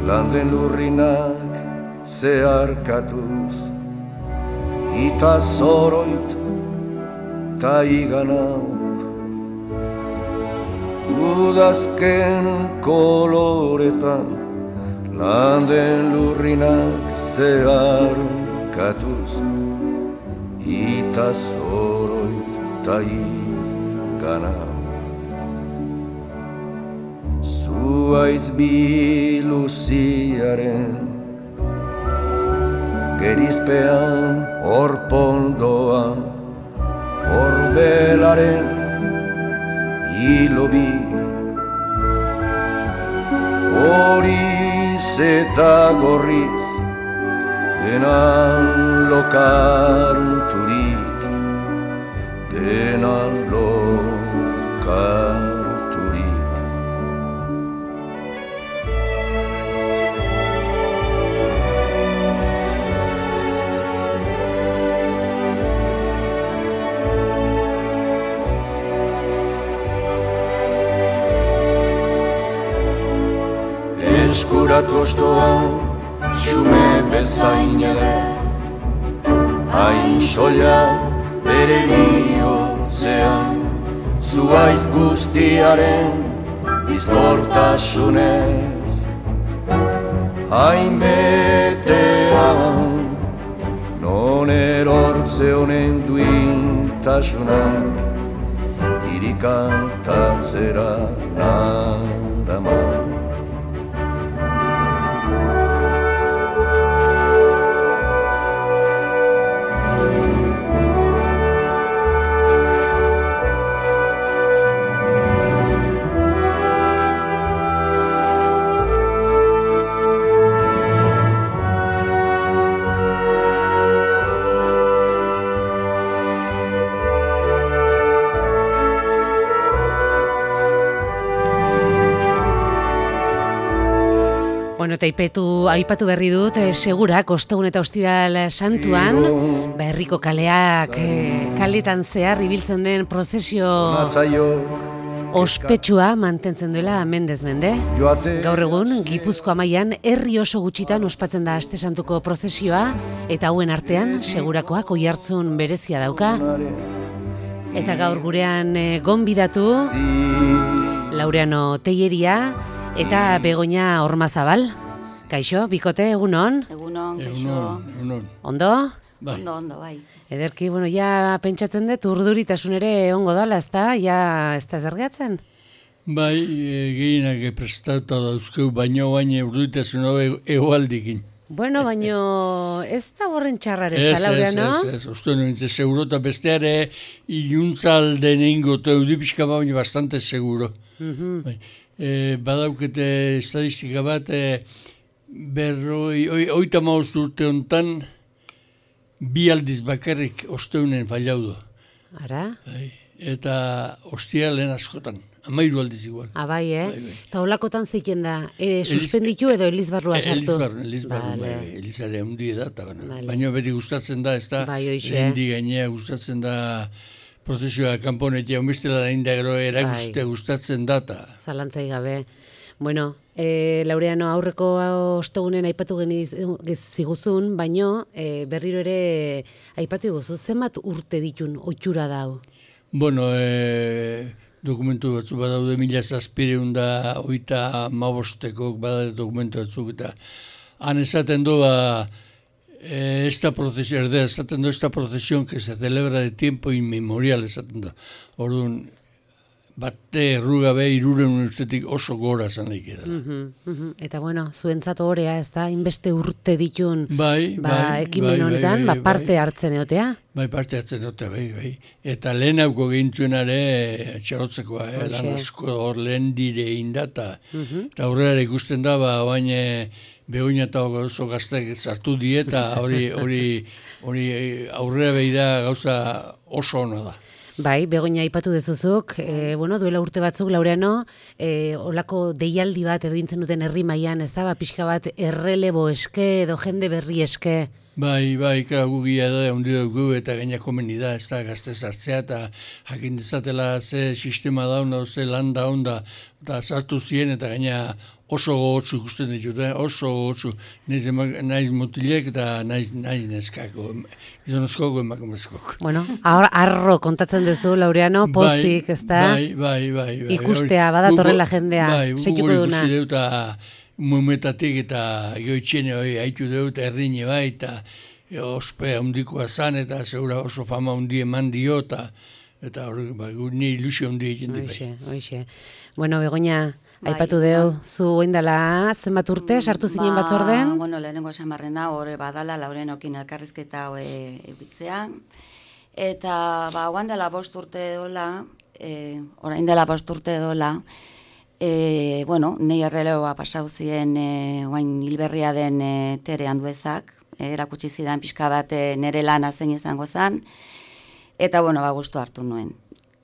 landen lurrinak zeharkatuz, ita zoroit ta iganauk, udazken koloretan, landen lurrinak zeharkatuz, ita zoroit ta iganauk. Zuaitz biluziaren gerizpean orpondoa, orbelaren hilobi, horiz eta gorriz denan lokarturik, denan lokarturik. Eskuratu ostoan, xume bezain ere, hain soila bere bihotzean, zuaiz guztiaren bizkortasunez, hain betean, non erortze honen duintasunak, irikantatzera naraman. Bueno, eta aipatu berri dut, segurak, ostegun eta ostiral santuan, herriko kaleak, kaletan zehar ibiltzen den prozesio ospetsua mantentzen duela mendez mende. Gaur egun, Gipuzkoa mailan herri oso gutxitan ospatzen da Aste Santuko prozesioa, eta hauen artean, segurakoak oihartzun berezia dauka. Eta gaur gurean gonbidatu, Laureano Telleria, eta Begoña Ormazabal. Kaixo, bikote, egunon? Egunon, kaixo. Ondo? Bai. Ondo, bai. Ederki, bueno, ja pentsatzen dut urduritasun ere ongo dala, ezta? Ja, ez da zergatzen? Bai, gehienak prestatuta dauzkeu, baino urduritasun egoaldikin. Bueno, baino ez da horren txarrar ez da, Laureano? Ez, uste nuen, seguro, eta besteare iluntzalden ingo, eta eudipizka baina bastante seguro. Bai. Badaukete estadistika bat, oita maoz urte hontan, bi aldiz bakarrik osteunen falaudo. Ara? Eta ostialen askotan, 13 aldiz igual. Bai, Eta holakotan zeiten da, suspenditu edo elizbarrua sartu? Elizbarru, elizare hundi da, baina beti gustatzen da, ez da, lehendi gainea gustatzen da, prozesioa kanponetia omestela da indagro erakuste gustatzen data. Zalantzai gabe. Bueno, Laureano, aurreko ostegunen aipatu ziguzun, baino berriro ere aipatu guzu, zenbat urte ditun ohitura dau? Bueno, dokumentu batzu badaude 1785 badaude dokumentu batzuk, eta han esaten doa esta procesión que se celebra de tiempo inmemorial, esaten da. Orduan, bate errugabe 300 urtetik oso gora zan laik edala. Eta bueno, zuentzat horea, ez da, inbeste urte ditun ekimen honetan, parte hartzen egotea? Bai, parte hartzen egotea, bai. Eta lehenauko gehintzuenare txarotzekoa, lan asko hor lehen dire indata. Eta aurrera ikusten da, baina Begoña eta oso gaztek sartu dieta, hori aurrera behida gauza oso ona da. Bai, Begoña aipatu dezuzuk, duela urte batzuk, Laureano, olako deialdi bat edo intzen duten herri mailan, ez da, pixka bat errelebo eske edo jende berri eske. Bai, gugia da, ondi dugu eta gaina komeni da, ez da, gazte sartzea eta jakin dezatela ze sistema dauna, ze landa onda, eta sartu ziren eta gaina oso gogotsu ikusten ditut, oso gogotsu. Naiz mutilek eta naiz neskako, gizonezkoko emakumezkok. Bueno, arro kontatzen duzu, Laureano, pozik, ezta? Bai. Ikustea, badatorrela jendea, seituko duna. Ikusi dut, mumetatik eta goitxene haitu dut, erdine bai, eta ospe handikoa zan, eta segura oso fama handi eman dio, eta hori, ni ilusio handi egin di bai. Oixe. Bueno, Begoña, aipatu deu, zu oindala zenbat urte, sartu zinen batzorden? Bueno, lehenengo esan barrena, hori badala, Laurenokin elkarrizketa ebitzea. Eta, oan dela 5 urte dola, orain dela 5 urte dola, bueno, nei erreleoa pasau ziren oain hilberria den Tere Anduezak, erakutsi zidan pixka bat nere lana zein izango zen, eta, bueno, gustu hartu nuen.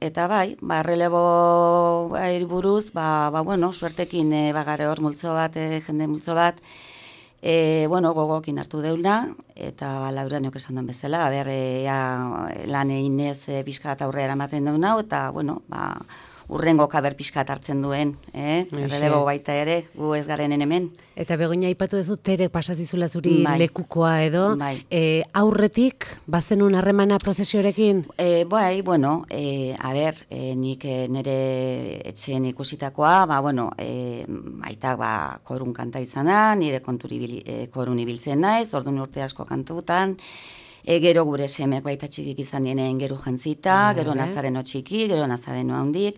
Eta bai, errelebo buruz, bueno, suertekin bagare hor multzo bat, jende multzo bat, bueno, gogokin hartu deuna, eta Laureanok esan duen bezala, lan eginez pixka eta aurrera ematen deuna, eta, bueno, urrengo kaber pixkat hartzen duen, errelebo baita ere, gu ez garen hemen. Eta Begoña aipatu duzu Tere pasazizula zuri lekukoa edo, aurretik bazenun harremana prozesioarekin? Bai, bueno, nik nire etxeen ikusitakoa, bueno, aitak korun kanta izana, nire korun ibiltzen naiz, orduan urte asko kantutan, gero gure semek baita txikik izan dienen geru jantzita, gero nazareno txiki, gero nazareno handik.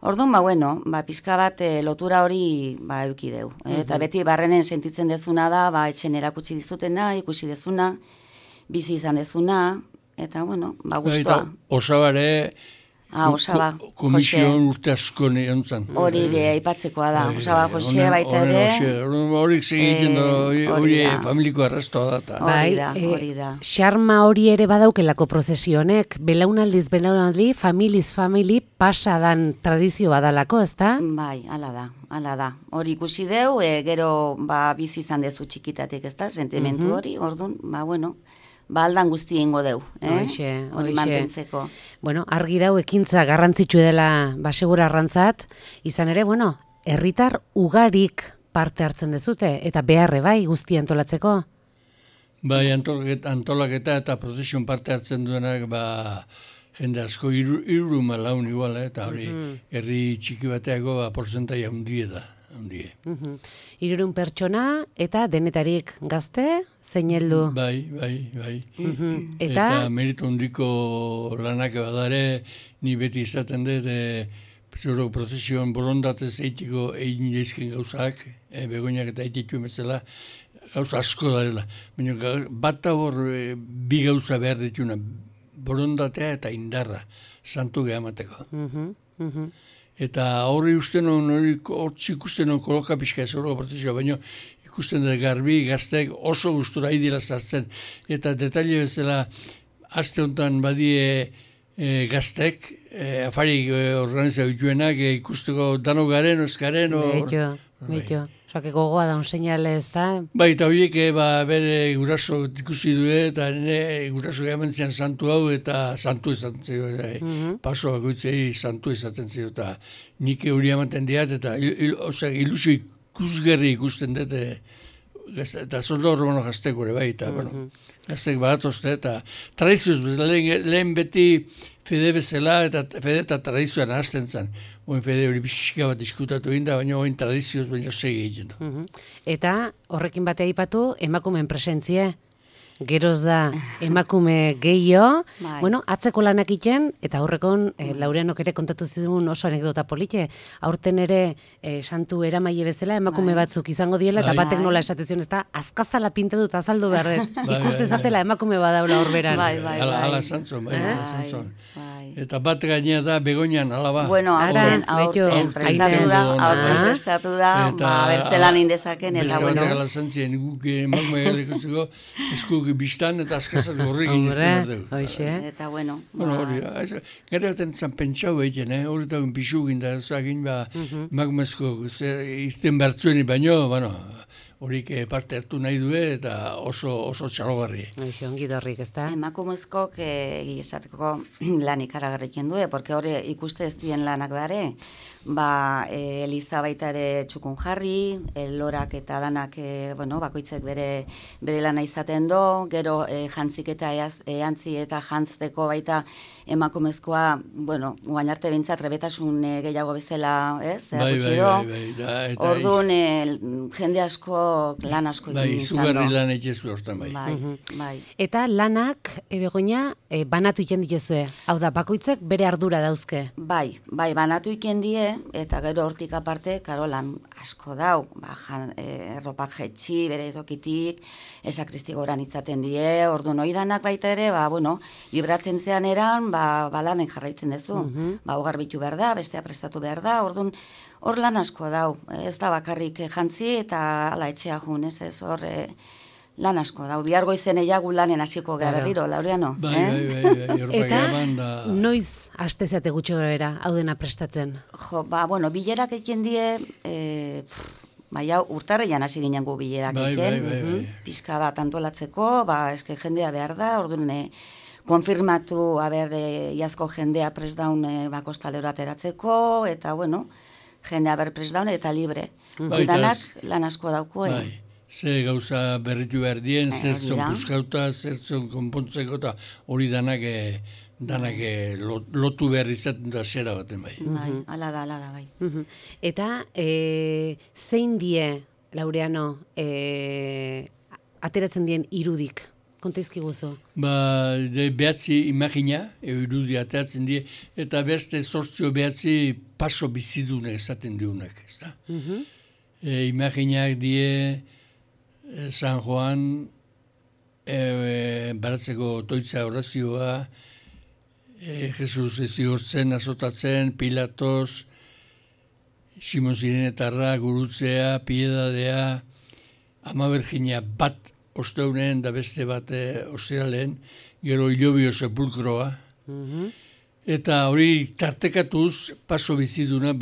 Orduan, bueno, pixka bat lotura hori euki deu. Eta beti barrenen sentitzen dezuna da, etxen erakutsi dizutena, ikusi dezuna, bizi izan dezuna, eta, bueno, guztua. Osabare, Osaba, komisioan urte asko nion zan. Hori aipatzekoa da, Osaba Jose baita ere. Horik segiten hori familiko arrastoa da. Hori da. Xarma hori ere badaukelako prozesionek, belaunaldi, familiz famili pasadan tradizio badalako, ezta? Bai, ala da. Hori ikusi deu, gero bizi izan dezu txikitatik, ezta, sentimentu hori, orduan, bueno, aldan guzti ingo deu, hori mantentzeko. Bueno, argi dau ekintza garrantzitsu dela segura arrantzat, izan ere, bueno, herritar ugarik parte hartzen dezute, eta beharre bai guzti antolatzeko? Bai, antolaketa eta prozesion parte hartzen duenak, jende asko irru malaun igual, eta hori herri txiki bateako porzentai handie da. 300 pertsona eta denetarik gazte, zein heldu? Bai. Eta meritu handiko lanak badare, ni beti izaten dut, zuro prozesioan borondatez eitiko egin daizken gauzak, Begoñak eta eititu emezela, gauza asko darela. Bat hor bi gauza behar dituna, borondatea eta indarra, santu gehamateko. Eta horri usten hori ikusten koloka pixka ez horrego prozesioa, baina ikusten dut garbi gazteek oso gustura idila zartzen. Eta detaile bezala, aste honetan badie gazteek, afarik organizau dituenak, ikusteko dano garen, oskaren. Beito. Soake gogoa da un seinale ez da? Bai, eta horiek bere guraso ikusi du, eta guraso gehamentzean santu hau, eta santu izaten zio. Paso bakoitzei santu izaten zio, eta nik hori ematen diat, eta ilusio ikusgerri ikusten dut, eta zoldo horrebono gazteko ere bai, eta gaztek badatozte, eta tradizioz, lehen beti fede bezala, eta fede eta tradizioan hasten zen. Oin fede hori pixka bat diskutatu egin da, baina oin tradizioz baina segi egin da. Eta horrekin batea aipatu emakumeen presentzie. Geroz da emakume gehiago, bueno, atzeko lanak iten, eta horrekon Laureanok ere kontatu zigun oso anekdota polite, aurten ere santu eramaile bezala emakume batzuk izango diela, eta batek nola esatezion ez da, azkazala pinte dut azaldu behar dut, ikustezatela emakume badaula horberan. Ala zantzon, Eta bat gainea da Begoñan, alaba. Bueno, aurten prestatu da, bertzelan indezaken, eta bueno. Bertzelan zantzien, guk emakume galeko eskuk biztan eta askazat gorrik egiten dugu. Eta bueno. Gara baten zan pentsau egiten, hori eta pixu ginda, zagin emakumezko izten bertzueni baino, horik parte hartu nahi du eta oso txalogarri. Ongi dorrik, ez da? Emakumezkok esateko lan ikaragarriken du, porque hori ikuste ez dien lanak dare. Eliza baita ere txukun jarri, lorak eta danak, bakoitzek bere lana izaten do, gero jantzik eta eantzi eta jantzteko baita emakumezkoa, guain arte bintzat trebetasun gehiago bezala, ez? Erakutsi do. Orduan, jende asko, lan asko egin izan do. Izugarri lan egitezu hortan bai. Bai. Eta lanak, Begoña, banatu iken dituzue. Hau da, bakoitzek bere ardura dauzke. Bai, banatu iken die, eta gero hortik aparte, karo lan asko dau, erropak jetxi, bere tokitik, esakristi goran itzaten die, orduan oidanak baita ere, libratzen zean eran, lanen jarraitzen dezu. Hogar bitu behar da, bestea prestatu behar da, orduan hor lan asko dau. Ez da bakarrik jantzi eta ala etxea jun, ez hor lan asko dau. Bihar goizen eiagu lanen hasiko gara berriro, Laureano. Bai. Eta noiz astezeate gutxi gara, hau dena prestatzen? Bilerak egin die, urtarreian hasi ginen gu bilerak egin. Pizka bat antolatzeko, eske jendea behar da, orduan konfirmatu, iazko jendea prest daun kostalero ateratzeko, eta jendea prest daun eta libre. Danak lan asko dauko. Ze gauza berritu behar dien, zertzon puskauta, zertzon konpontzeko, eta hori danak lotu behar izaten da zera baten bai. Ala da, bai. Eta zein die, Laureano, ateratzen dien irudik? Kontaizki guzu? Behatzi imagina, irudi ateratzen die, eta beste sortzio behatzi paso bizidunek esaten diunek, ez da? Imaginak die San Juan baratzeko toitza orazioa, Jesus ezigortzen, azotatzen, Pilatos, Simon Zirenetarra, gurutzea, piedadea, Ama Bergina bat osteunen da beste bat ostiralen, gero hilobio sepulkroa. Eta hori tartekatuz, paso biziduna,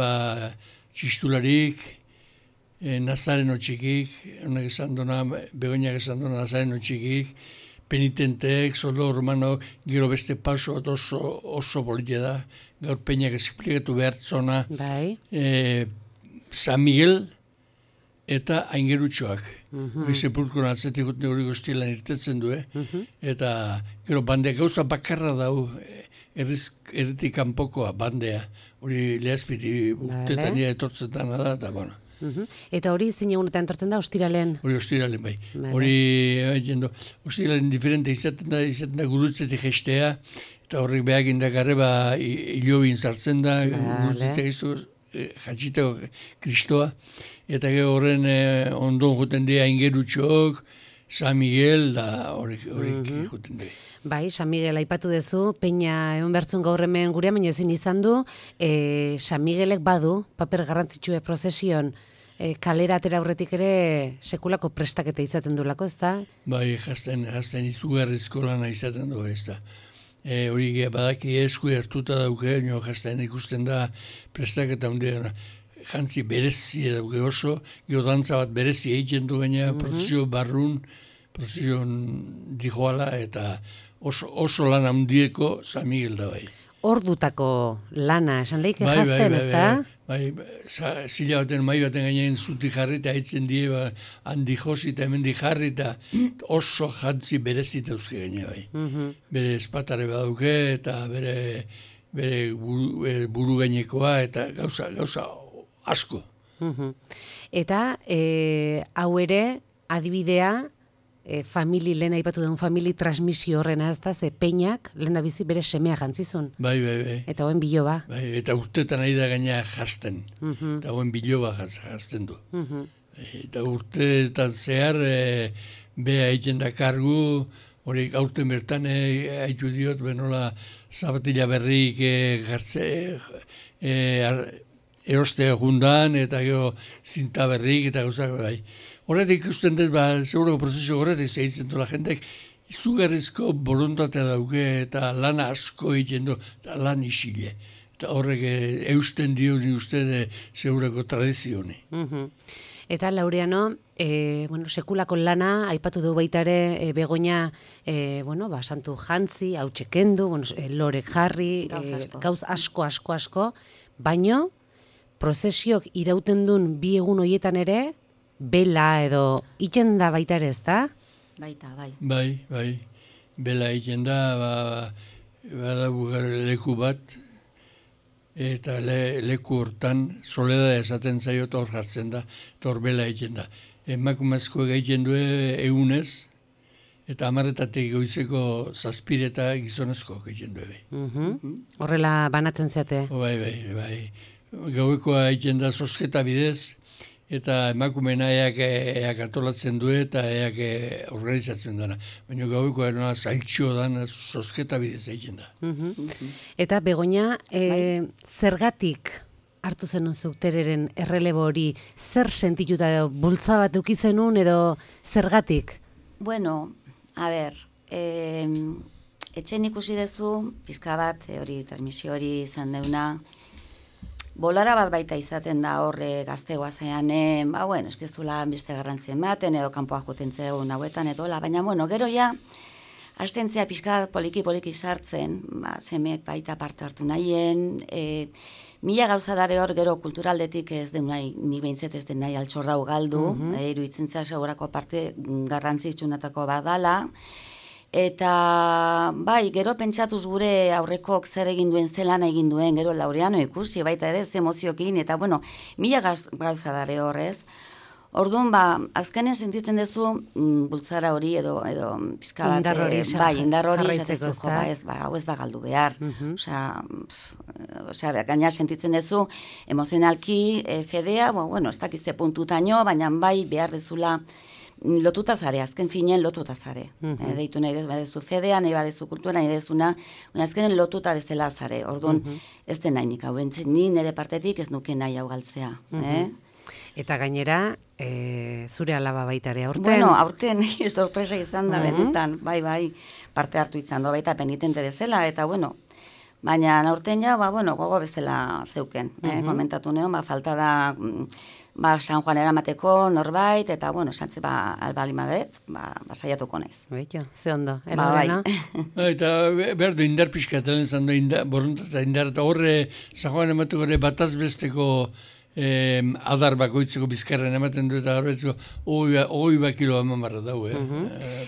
txistularik, Nazareno txikik, honek esan duna, Begoñak esan duna Nazareno txikik, penitenteek, soldo romanok, gero beste paso oso politia da, gaur peinak esplikatu behartzona, San Miguel eta Aingerutxoak. Hori sepulkroan atzetik hori goztielan irtetzen du, eta gero bandea gauza bakarra dau, erretik kanpokoa bandea, hori lehazpiti urtetan nire etortzetan da, eta bueno. Eta hori zein egunetan entortzen da, ostiralen? Hori ostiralen bai. Hori, ostiralen diferente izaten da gurutzetik gestea, eta horrek behak indakarre hilobin zartzen da, gurutzetik izu, jatxiteko kristoa, eta gero horren ondon juten dira Aingerutxok, San Miguel, da horrek juten dira. Bai, San Miguel aipatu dezu, peina egon bertzun gaur hemen gurea, baina ezin izan du, San Miguelek badu, paper garrantzitsue prozesion, kalera atera aurretik ere sekulako prestaketa izaten duelako, ez da? Bai, jazten izugarrizko lana izaten du, ez da. Hori badaki esku hartuta dauke, jazten ikusten da prestaketa hundia, jantzi berezi dauke oso, gero dantza bat berezi egiten du baina, prozesio barrun, prozesio dijoala, eta oso lana hundieko San Miguel da bai. Ordutako lana, esan lehik jazten, ez da? Bai, zila baten, mai baten gainean zuti jarri, eta haitzen die, handi josi eta hemen di jarri, eta oso jantzi berezita euske gaine bai. Bere espatare badauke, eta bere buru gainekoa, eta gauza asko. Eta hau ere, adibidea, lehen aipatu duen famili transmisio horrena, ez da, ze peinak, lehen da bizi bere semea jantzizun. Bai. Eta hoen biloba. Bai, eta urtetan ari da gaina jazten. Eta hoen biloba jazten du. Eta urtetan zehar, beha egiten da kargu, hori aurten bertan haitu diot, benola zapatila berrik erostea jundan, eta gero zinta berrik, eta gauzak bai. Horretik ikusten dut, segurako prozesio horretik zehitzen dola jendek, izugarrizko borontatea dauke eta lan asko egiten du, eta lan isile. Eta horrek eusten dio ni uste segurako tradizioni. Eta Laureano, sekulako lana, aipatu du baita ere, Begoña, santu jantzi, hautsekendu, lorek jarri, gauz asko, baino, prozesiok irauten duen bi egun hoietan ere, bela edo iten da baita ere, ez da? Baita, bai. Bai. Bela egiten da, badago leku bat, eta leku hortan soleda esaten zaio eta hor jartzen da, eta hor bela egiten da. Emakumezko egiten du egunez, eta 10:00 goizeko 7 eta gizonezko egiten du. Horrela banatzen zeate? Bai. Gauekoa egiten da zozketa bidez, eta emakumena eak atolatzen du eta eak organizatzen dana. Baina gaueko erona zailtxo dan zozketa bidez egiten da. Eta Begoña, zergatik hartu zenun zeutereren errelebo hori, zer sentituta edo bultza bat eukizenun edo zergatik? Bueno, a ber, etxen ikusi dezu, pizka bat, hori transmisio hori izan deuna, bolara bat baita izaten da horre gaztegoa zean, ez dezula beste garrantzia ematen, edo kanpoa joten zegoen hauetan, baina, gero ja, hastentzea pixka poliki sartzen, semeek baita parte hartu nahien, mila gauza dare hor gero kulturaldetik ez den nahi, ni behintzet ez den nahi altxorrau galdu, iruditzen zea segurako parte garrantzitsunatako badala, eta bai, gero pentsatuz gure aurrekok zer egin duen, zelan egin duen, gero Laureano ikusi baita ere, ze emoziokin, eta mila gauza dare horrez. Orduan, azkenen sentitzen duzu bultzara hori edo pizka bat, indar hori esatezu, hau ez da galdu behar. Osea, gaina sentitzen duzu emozionalki fedea, ez dakizte puntutaino, baina bai behar dezula lotuta zare, azken finen lotuta zare. Deitu nahi badezu fedea, nahi badezu kultura, nahi dezuna, azkenen lotuta bestela zare. Orduan, ez den nahi nik hau, ni nire partetik ez nuke nahi hau galtzea. Eta gainera, zure alaba baita ere aurten? Bueno, aurten sorpresa izan da benetan, bai, parte hartu izan da, baita penitente bezala, eta baina aurten ja, gogo bezala zeuken. Komentatu neon, falta da San Juan eramateko norbait, eta santze albalimadet, saiatuko naiz. Beito, ze ondo, bai. Eta berdu indar pixkatelen zan da, boronta indar, eta horre San Juan emateko bataz besteko adar bakoitzeko bizkarren ematen du eta horretzeko 20 kilo eman barra dau.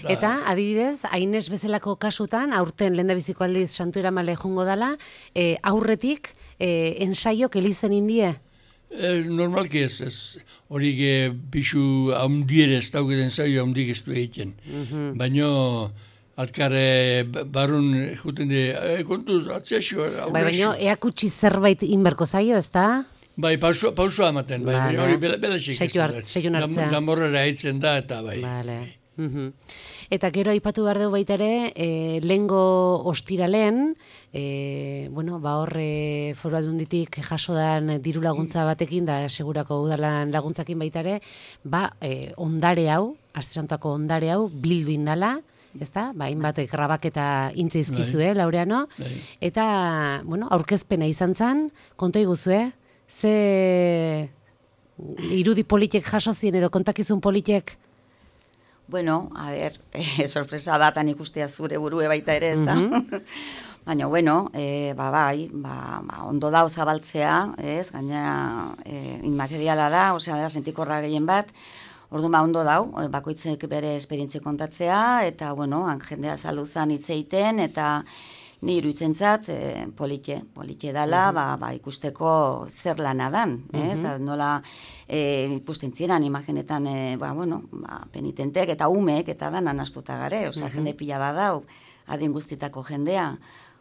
Eta, adibidez, Aines bezalako kasutan, aurten lehendabiziko aldiz Santu Eramale jungo dala, aurretik ensaiok elizen indie? Normalki ez. Horik pixu haundiere ez dauketen ensaio haundik ez du egiten. Baina alkarre barun juten di, kontuz, atxexo. Baina eakutsi zerbait inberko zaio, ez da? Bai, pausua ematen, hori belexik ez da. Seion hartzea. Damorrera haitzen da, eta bai. Eta gero aipatu behar dugu baita ere, lehengo ostiralen, horre Foru Aldunditik jaso dan diru laguntza batekin, da segurako udalan laguntzakin baita ere, ondare hau, Aste Santuako ondare hau, bildu indala, ezta? Hainbat grabaketa intzeizkizue, Laureano, eta, aurkezpena izan zen, konta iguzue, ze irudi politek jaso zien edo kontakizun politek? A ber, sorpresa batan ikustea zure burue baita ere, ez da? Baina, bai, ondo da zabaltzea, ez? Gaina inmateriala da, da, sentikorra gehien bat, orduan ondo dau, bakoitzek bere esperientzia kontatzea, eta, jendea zalduzan hitz egiten, eta ni iruditzen zat, politxe dala, ikusteko zer lana dan, eta nola ikusten ziren, imagenetan, penitentek eta umek eta danan astuta gare, jende pila badau, adin guztitako jendea.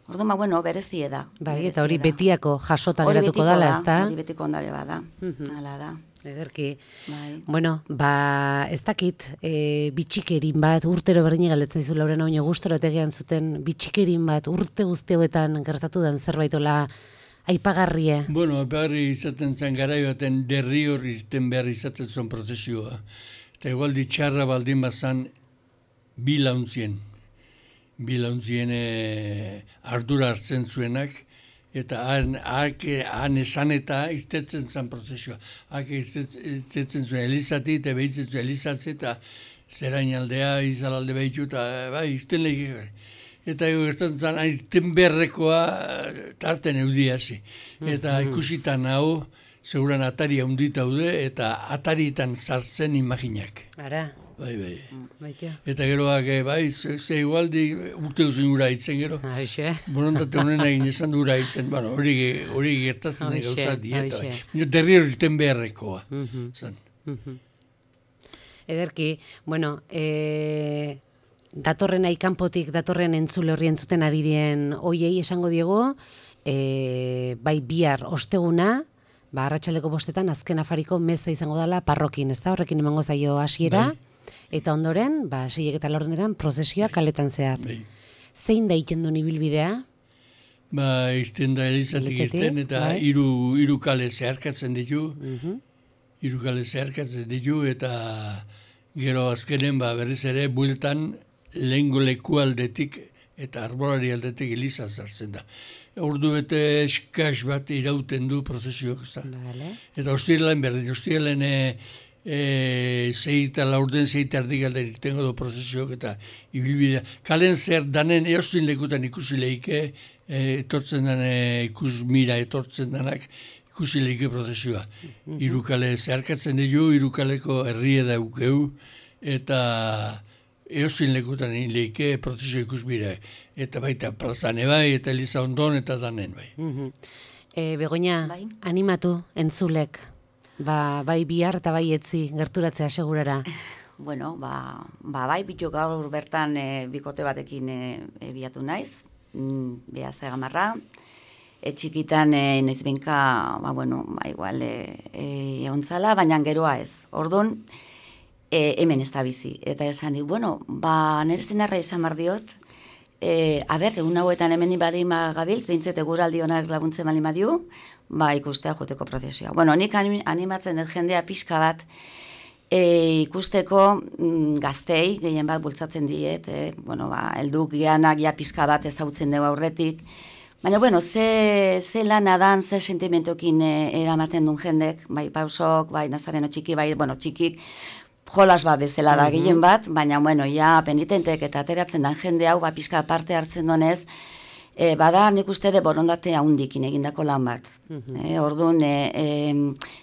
Orduan, berezie da. Bai, eta hori betiako jasota geratuko dala, ez da? Hori betiko ondare bada, hala da. Ederki. Ez dakit, bitxikerin bat, urtero berdine galdetzen dizu Laureano, baina gustoro etegean zuten bitxikerin bat, urte guztioetan gertatu den zerbaitola aipagarrie. Aipagarri izaten zen garai baten derri hori irten behar izaten zuen prozesioa. Eta igual ditxarra baldin bazan bilauntzien ardura hartzen zuenak, eta han esan eta irtetzen zen prozesioa. Irtetzen zuen Elizati, eta behitzen zuen Elizatze, eta zerain aldea, izalalde behitu, eta irten lehik. Eta gertatzen zen, irten beharrekoa tarten eudiazi. Eta ikusitan hau, seguran atari handita daude, eta ataritan sartzen imaginak. Ara. Bai. Baita. Eta geroak, bai, ze igualdi urte duzun gura hitzen gero. Aixe. Borontate honen egin esan dura hitzen, bueno, hori gertatzen gauza dieta. Derri horiten beharrekoa. Zan. Ederki, bueno, datorren aikanpotik, datorren entzule horri entzuten ari dien oiei esango diego, bai bihar osteguna, arratsaldeko 5 azken afariko meza izango dela parrokin, ez da? Horrekin emango zaio hasiera. Bai. Eta ondoren, 6:00 prozesioa kaletan zehar. Bai. Zein da iten duen ibilbidea? Irten da Elizatik irten, eta bai. Hiru kale zeharkatzen ditu. Hiru kale zeharkatzen ditu, eta gero azkenen berriz ere bueltan lehengo leku aldetik eta arbolari aldetik Eliza zartzen da. Ordu bete eskas bat irauten du prozesioak, ez da. Vale. Eta ostiralen berdin, zeita laurden, zeita erdigalden irtengo du prozesioak eta ibilbidea. Kalen zer danen eostin lekutan ikusi lehike, etortzen dane ikus mira etortzen danak ikusi lehike prozesioa. Hiru kale zeharkatzen ditu, hiru kaleko herrie daukeu, eta eostin lekutan lehike prozesio ikus mira. Eta baita plazane bai, eta Eliza ondon, eta danen bai. Begoña, bai? Animatu entzulek. Bai bihar eta bai etzi gerturatzea segurara. Bueno, bai, bitu gaur bertan bikote batekin biatu naiz, Beaz Egamarra. Txikitan noiz benka, igual egontzala, baina geroa ez. Orduan, hemen ez da bizi. Eta esan dik, nire zenarra izan bardiot, egun hauetan hemen ibari magabiltz, behintzet eguraldi honak laguntzen bali madiu, ikustea joteko prozesioa. Nik animatzen dut jendea pixka bat ikusteko gaztei, gehien bat bultzatzen diet, helduk geanak ja pixka bat ezautzen dugu aurretik, baina, ze lana dan, ze sentimentokin eramaten duen jendek, bai pausok, bai nazareno txiki, bai, txikik, jolas bat bezala da gehien bat, baina, ja penitentek eta ateratzen den jende hau, pixka parte hartzen donez, bada nik uste de borondate haundikin egindako lan bat. Orduan,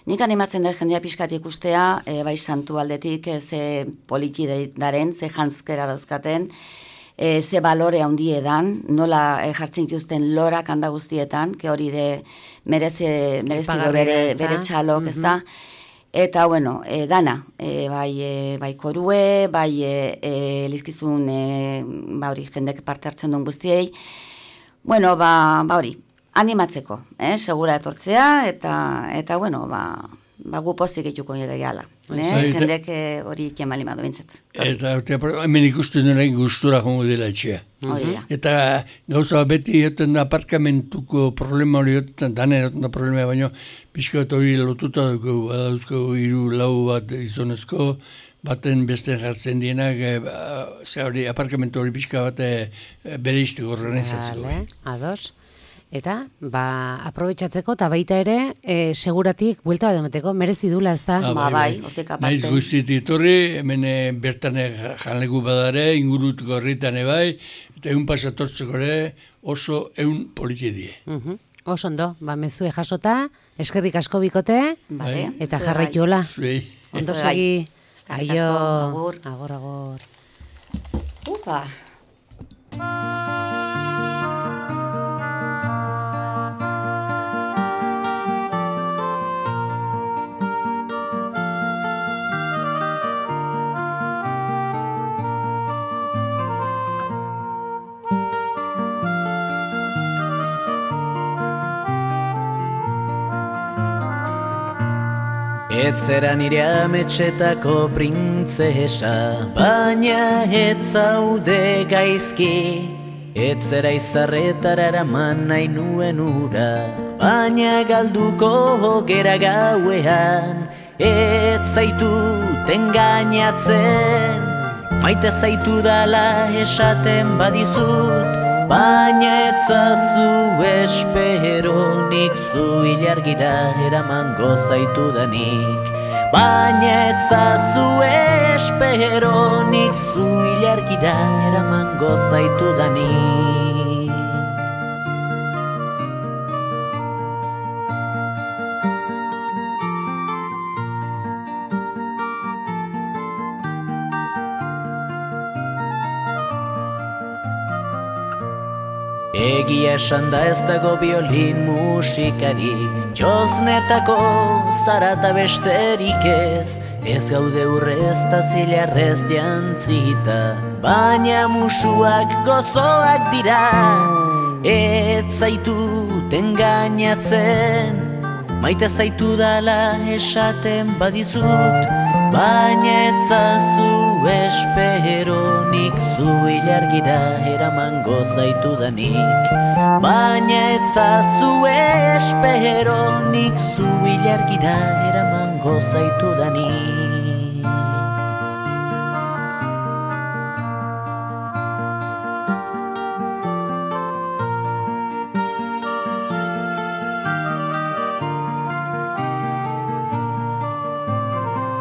nik animatzen da jendea pixkat ikustea, bai santu aldetik, ze politi daren, ze jantzkera dauzkaten, ze balore handie dan, nola jartzen dituzten lorak handa guztietan, ke hori de merezido bere txalok, ez da? Eta, dana, bai korue, bai elizkizun, hori jendek parte hartzen duen guztiei, hori, animatzeko, segura etortzea, eta gu pozik eituko gala. Jendek hori iken bali madu bintzat. Eta hemen ikusten duen gustura jongo dela etxea. Eta gauza beti egoten da aparkamentuko problema hori egoten, danen egoten da problema, baina pixka bat hori lotuta dugu, badauzko 3-4 bat izonezko, baten beste jartzen dienak, hori aparkamentu hori pixka bat bere izteko organizatzeko. Ados. Eta, aprobetxatzeko, eta baita ere, seguratik, buelta bat emateko, merezi dula, ez da? Bai, hortik aparte. Naiz guztit iturri, hemen bertan janleku badare, ingurutuko horritan bai, eta egun pasatortzeko ere oso egun politiedie. Oso ondo, mezue jasota, eskerrik asko bikote, eta jarraituola. Ondo segi, aio, agor. Upa! Etzera nire ametxetako printzesa, baina ez zaude gaizki. Etzera izarretara eraman nahi nuen ura, baina galduko gera gauean. Ez zaitu engainatzen, maite zaitu dala esaten badizut, baina etzazu espero nik zu ilargira eramango zaitu danik. Baina etzazu espero nik zu ilargira eramango zaitu danik. Egia esan da ez dago biolin musikarik, txosnetako zarata besterik ez, ez gaude urrez ta zilarrez jantzita, baina musuak gozoak dira, ez zaitut engainatzen, maite zaitu dala esaten badizut, baina ez zazu espero nik zu ilargira eramango zaitudanik, baina ez zazu espero nik zu ilargira eramango zaitudanik.